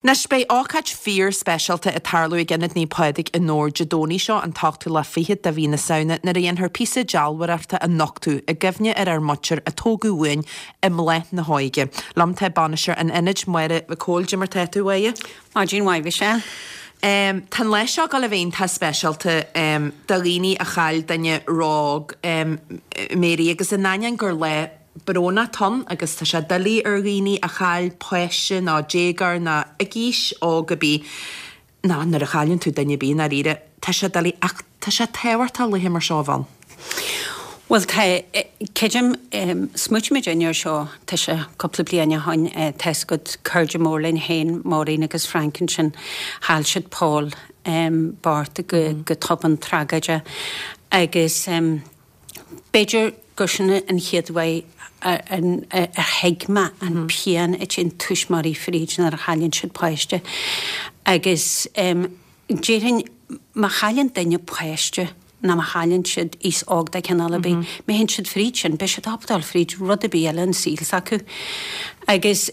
Anois, beidh ócáid fíor-speisialta ag tarlú ag Ionad Naomh Pádraig i nDobhar Dé Domhnaigh seo, an t-ochtú lá fichead de mhí na Samhna, nuair a dhéanfar píosa dealbhóireachta a nochtadh i gcuimhne ar ár muintir a tógadh uainn i mbláth na hóige. Liom tá bainisteoir an Ionaid, Máire Mhic Cóil. Cad é mar tá tú, a Mháire? Maidin mhaith, Mhichelle. Tá an lá seo ag dul a bheith iontach speisialta do dhaoine a chaill duine ró-óg, Mary, agus in ainneoin gur lá brónach atá ann agus tá sé doiligh ar dhaoine a chaill páiste nó déagóir nó ag aois óg ar bith, nó nuair a chailleann tú duine ar bith i ndáiríre, tá sé doiligh ach tá sé tábhachtach laetha mar seo a bheith ann. Bhuel tá, creidim, smaoitigh muid air seo, tá sé cúpla bliain ó shoin, tá 'fhios agat cairde mór linn féin, Maureen agus Frank ansin, chaill siad Paul bocht go tobann tragóideach agus, B'fhéidir gur sin an chéad uair ar thuig mé an pian a théann tuismitheoirí fríd nuair a chailleann siad páiste. Agus déarfainn má chailleann duine páiste nó má chailleann siad aos óg de chineál ar bith, má théann siad fríd sin, beidh siad ábalta dul fríd rud ar bith eile an saol s'acu. Agus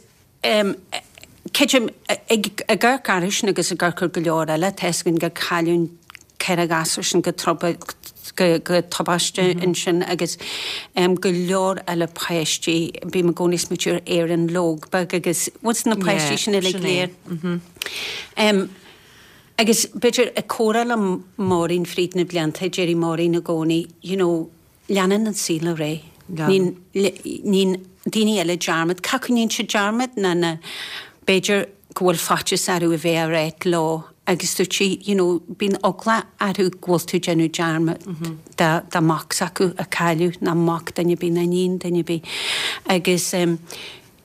Creidim, ag amharc orthu sin agus ag amharc ar go leor eile, tá 'fhios againn gur cailleadh 4 ghasúr sin go go tubaiste ansin agus go leor eile páistí, bím i gcónaí ag smaoitiú ar Éirinn Logue beag agus bhfuil na páistí sin uilig léir. Agus b'fhéidir ag comhrá le Maureen fríd na blianta, deireadh Maureen i gcónaí, you know, Leanann an saol ar aghaidh. Níonn daoine eile dearmad. Cé acu níonn siad dearmad ná na b'fhéidir go bhfuil faitíos orthu a bheith á ráit leo agus dúirt sí you know bíonn eagla orthu go bhfuil tú ag déanamh dearmad de de mac s'acu a cailleadh ná mac duine ar bith ná iníon duine ar bith agus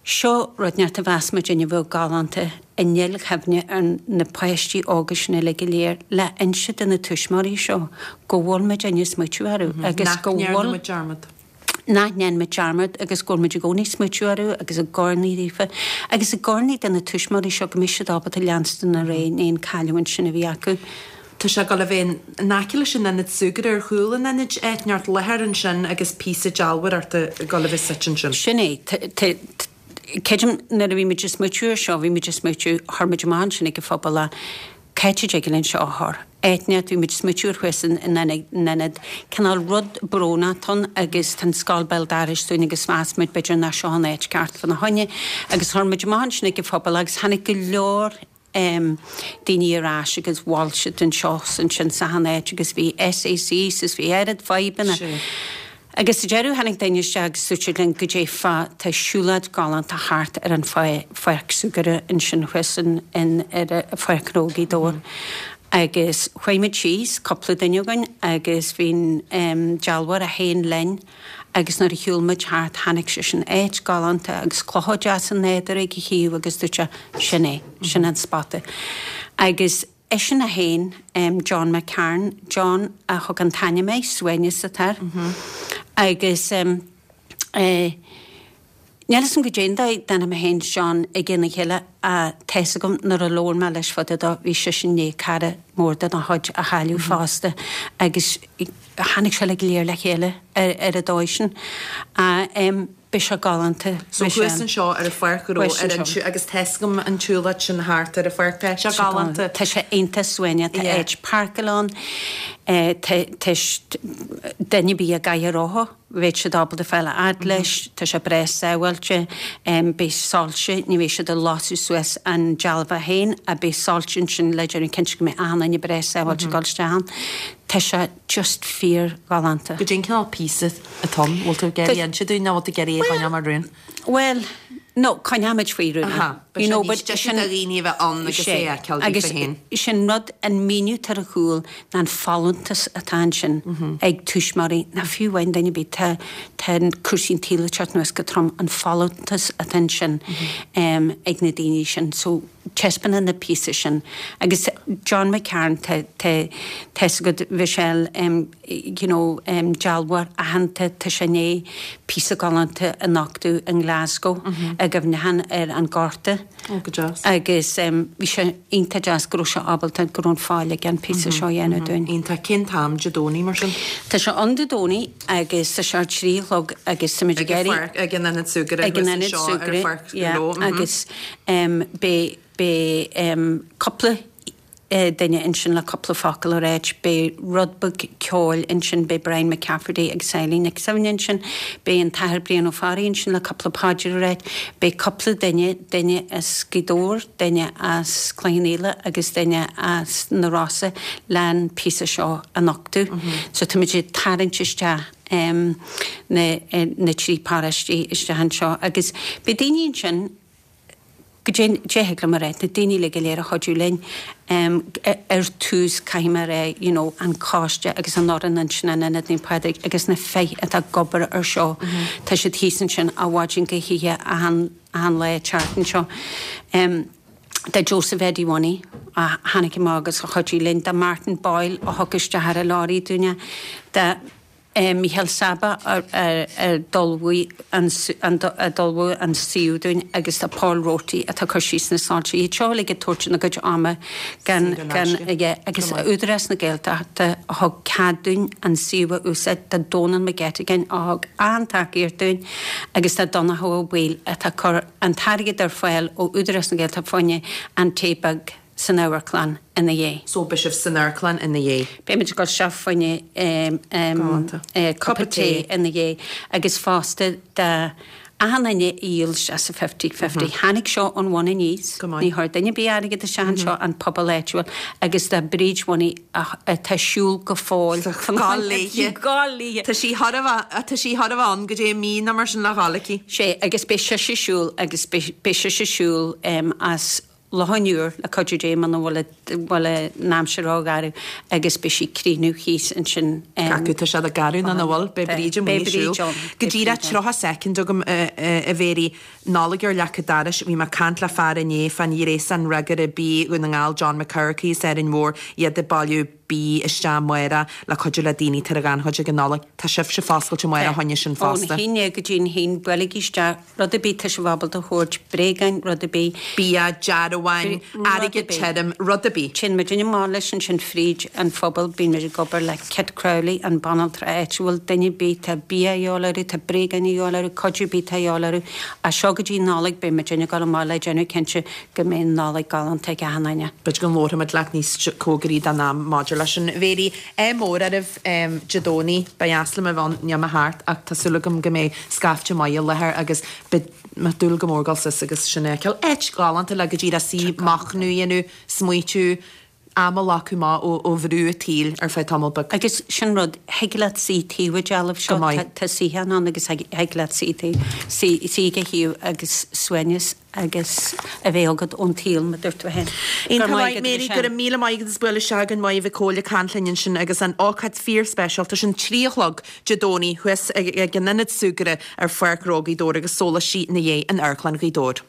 Seo rud inteacht a mheas muidinne a bheadh galánta i ndilchuimhne ar na páistí óga sin uilig go léir le inse do na tuismitheoirí seo go bhfuil muidinne ag smaoitiú orthu agus go bhfuil. Nach ndearna muid dearmad. Nach ndearna muid dearmad agus go bhfuil muid i gcónaí ag smaoitiú orthu agus ag urnaí daofa agus ag urnaí do na tuismitheoirí seo go mbeidh siad ábalta leanstan ar aghaidh i ndiaidh an cailliúint sin a bhí acu. Tá sé ag dul a bheith in aice leis an ionad súgartha ar chúl an ionaid, áit inteacht láthair ansin agus píosa dealbhóireachta ag dul a bheith suite ansin. Sin é. Creidim nuair a bhí muid ag smaoitiú ar seo, bhí muid ag smaoitiú, chuir muid amach ansin ag an phobal é, cá háit a dtig linn seo a chur? Áit inteacht, bhí muid ag smaoitiú ar thuas in ionad, cineál rud brónach atá ann agus tá an scoil béal dorais dúinn agus mheas muid b'fhéidir nach seo an áit ceart fá na choinne agus chuir muid amach ansin ag an phobal agus tháinig go leor daoine ar ais agus mhol siad anseo 's ansin 's achan áit agus bhí SAC 's bhí oiread fadhbanna. Agus sa deireadh tháinig duine isteach agus dúirt siad linn goidé fá tá siúlóid galánta thart ar an pháirc súgartha ansin thuas in ar Pháirc Ghnó Ghaoth Dobhair. Agus chuaigh muid síos, cúpla duine againn, agus bhí an dealbhóir é féin linn. Agus nuair a shiúil muid thart chonaic seisean áit galánta agus clocha deasa nádúrtha ag a thaobh agus dúirt sé, sin é, sin an spota. Agus eisean é féin, John McCarn, John a thug an t-ainm air, Suaimhneas atá air. Agus eh. Níl 'fhios a'm goidé an dóigh d'aithnigh mé féin John i gcionn a chéile ach tá 'fhios agam nuair a labhair mé leis fá dtaobh dó bhí seisean i ndiaidh cara mór dá chuid a chailleadh fosta agus tháinig sé uilig go léir le chéile ar an dóigh sin. Beidh sé galánta. So thuas anseo ar an pháirc ghnó ar an agus tá 'fhios agam an tsiúlóid sin thart ar an pháirc tá sé galánta. Tá sé iontach suaimhneach, tá áit páirceála ann, tá duine ar bith a gcaithfidh a rotha. Bheadh siad ábalta fáil a fhad leis, tá sé breá sábháilte, beidh soilse, ní bheidh siad ag lasadh suas an dealbh féin ach beidh soilse ansin le déanamh cinnte go mbeidh achan duine breá sábháilte ag dul isteach ann. Tá sé just fíor ghalánta. Goidé an cineál píosa atá ann, bhfuil tú ag iarraidh inse dúinn nó bhfuil tú ag iarraidh é a choinneáil mar rún? Bhuel, no, coinneoimid faoi rún é. You know, but sin do dhaoine a bheith ann agus é a fheiceáil daofa féin. Agus sin rud, an míniú atá ar a chúl ná an folúntas atá ansin ag tuismitheoirí, ná fiú amháin duine ar bith, tá tá cúrsaí an tsaoil ag teacht anuas go trom, an folúntas atá ansin ag na daoine sin. So, taispeánann an píosa sin. Agus John McCarn, tá tá tá 'fhios agat, Mhichelle, you know, dealbhóir aitheanta, tá sé i ndiaidh píosa galánta a nochtadh i nGlasgow. I gcuimhneachán ar an Ghorta. Ó, go deas. Agus bhí sé iontach deas go raibh sé ábalta, go raibh an fáil aige an píosa seo a dhéanamh dúinn. Iontach. Cén t-am Dé Domhnaigh mar sin? Tá sé ann Dé Domhnaigh agus tá sé ar trí a chlog agus tá muid ag iarraidh. Ag an Ionad Súgartha Ag an Ionad Súgartha, yeah. Agus beidh, beidh cúpla duine ansin le cúpla focal a ráit, beidh rud beag ceoil ansin, beidh Brian McCafferty agus Eileen Nic Suibhne ansin, beidh an tAthair Brian Ó Fearraigh ansin le cúpla paidir a ráit, beidh cúpla duine, duine as Gaoth Dobhair, duine as Cloich Cheann Fhaola agus duine as na Rosa leis an píosa seo a nochtadh. So táimid ag tarraingt isteach na na trí paróistí isteach anseo agus beidh daoine ansin, Goidé thig liom a rá, na daoine uilig go léir a chuidigh linn ar tús, caithfidh mé a rá, you know, an coiste agus an fhoireann ansin in Ionad Naomh Pádraig agus na fir atá ag obair ar seo, tá siad thíos ansin ó mhaidin go hoíche achan, achan lá an tseachtain seo. Do Joseph Eddie Mhoney a tháinig amach agus a chuidigh linn, do Martin Boyle a thug isteach ar an lorry dúinne, do. Micheál Saba a d'ullmhaigh an suíomh dúinn agus do Paul Roarty atá ag cur síos na soilse. Iad seo uilig ag tabhairt ina gcuid ama gan yeah agus Údarás na Gaeltachta a thug cead dúinn an suíomh a úsáid, do Dónal McGettigan a thug an-tacaíocht dúinn agus do Donncha Ó Baoill atá ag cur an t-airgead ar fáil ó Údarás na Gaeltachta fá choinne an tae beag. san amharclann ina dhiaidh. So beidh sibh san amharclann ina dhiaidh. Beidh muid ag dul isteach fá choinne cupa tae ina dhiaidh agus fosta do achan duine a dhíol isteach sa fifty fifty. Tháinig seo ón bhun aníos, ní chuir duine ar bith airgead isteach anseo, an pobal áitiúil agus do Bríd Mhoney atá ag siúl go fóill. Gabháil léithe. Gabháil léithe. Tá sí thar a bheith, tá sí thar a bheith ann go dtí mí nó mar sin le dhul aici. Sé agus beidh sise ag siúl agus beidh sise ag siúl as Loch an Iúir, le cuidiú Dé, muna bhfuil bhfuil an aimsir ró-gharbh agus beidh sí ag críochnú thíos ansin. Cé acu tá sé garbh nó nach bhfuil, beidh Bríd amuigh ag siúl. Go díreach 30 soicind agam a Mhéirí, Nollaig ar leac an dorais, bhí mé ag caint le fear inné fán ghréasán Fhreagaire Bídh Dhún na nGall, John McCarthy as Árainn Mhór, iad ag bailiú bídh isteach amárach le cuidiú le daoine atá ar ghannchuid ag an Nollaig. Tá sibhse foscailte amárach fá choinne sin fosta. Ón haon go dtí an haon, buailigí isteach. Rud ar bith tá sibh ábalta a thabhairt, bréagáin, rud ar bith. Bia, dearbháin, airgead tirim, rud ar bith. Téann muidinne amach leis ansin fríd an phobal, bíonn muid ag obair le Kit Crowley, an banaltra áitiúil, duine ar bith, tá bia a dhíobháil orthu, tá bréagáin a dhíobháil orthu, cuidiú ar bith tá a dhíobháil orthu. As seo go dtí Nollaig beidh muidinne ag dul amach le déanamh cinnte go mbeidh Nollaig galánta ag achan duine. B'fhéidir go labharfaimid leat níos cóngaraí don am maidir leis sin. A Mhéirí, ádh mór oraibh Dé Domhnaigh. Ba dheas liom a bheith ann, níl mé thart ach tá súil agam go mbeidh scaifte maith i láthair agus beidh mé ag dúil go mór dul suas agus sin a fheiceáil. Áit ghalánta le go díreach suí, machnamh a dhéanamh, smaoitiú, am a ghlacadh amach ó bhrú an tsaoil ar feadh tamall beag. Agus sin rud, thig leat suí taobh an dealbh seo, tá suíochán ann agus thig leat suí taobh, suí ag a thaobh agus suaimhneas agus a bheith agat ón tsaol, mar a dúirt tú féin. Iontach maith, Mary, go raibh míle maith agat as bualadh isteach againn Maighe Mhic Cóil ag caint linn ansin agus an ócáid fíor-speisialta sin, 3 a chlog Dé Domhnaigh thuas ag an Ionad Súgartha ar Pháirc Ghnó Ghaoth Dobhair agus sóláistí ina dhiaidh in Amharclann Ghaoth Dobhair.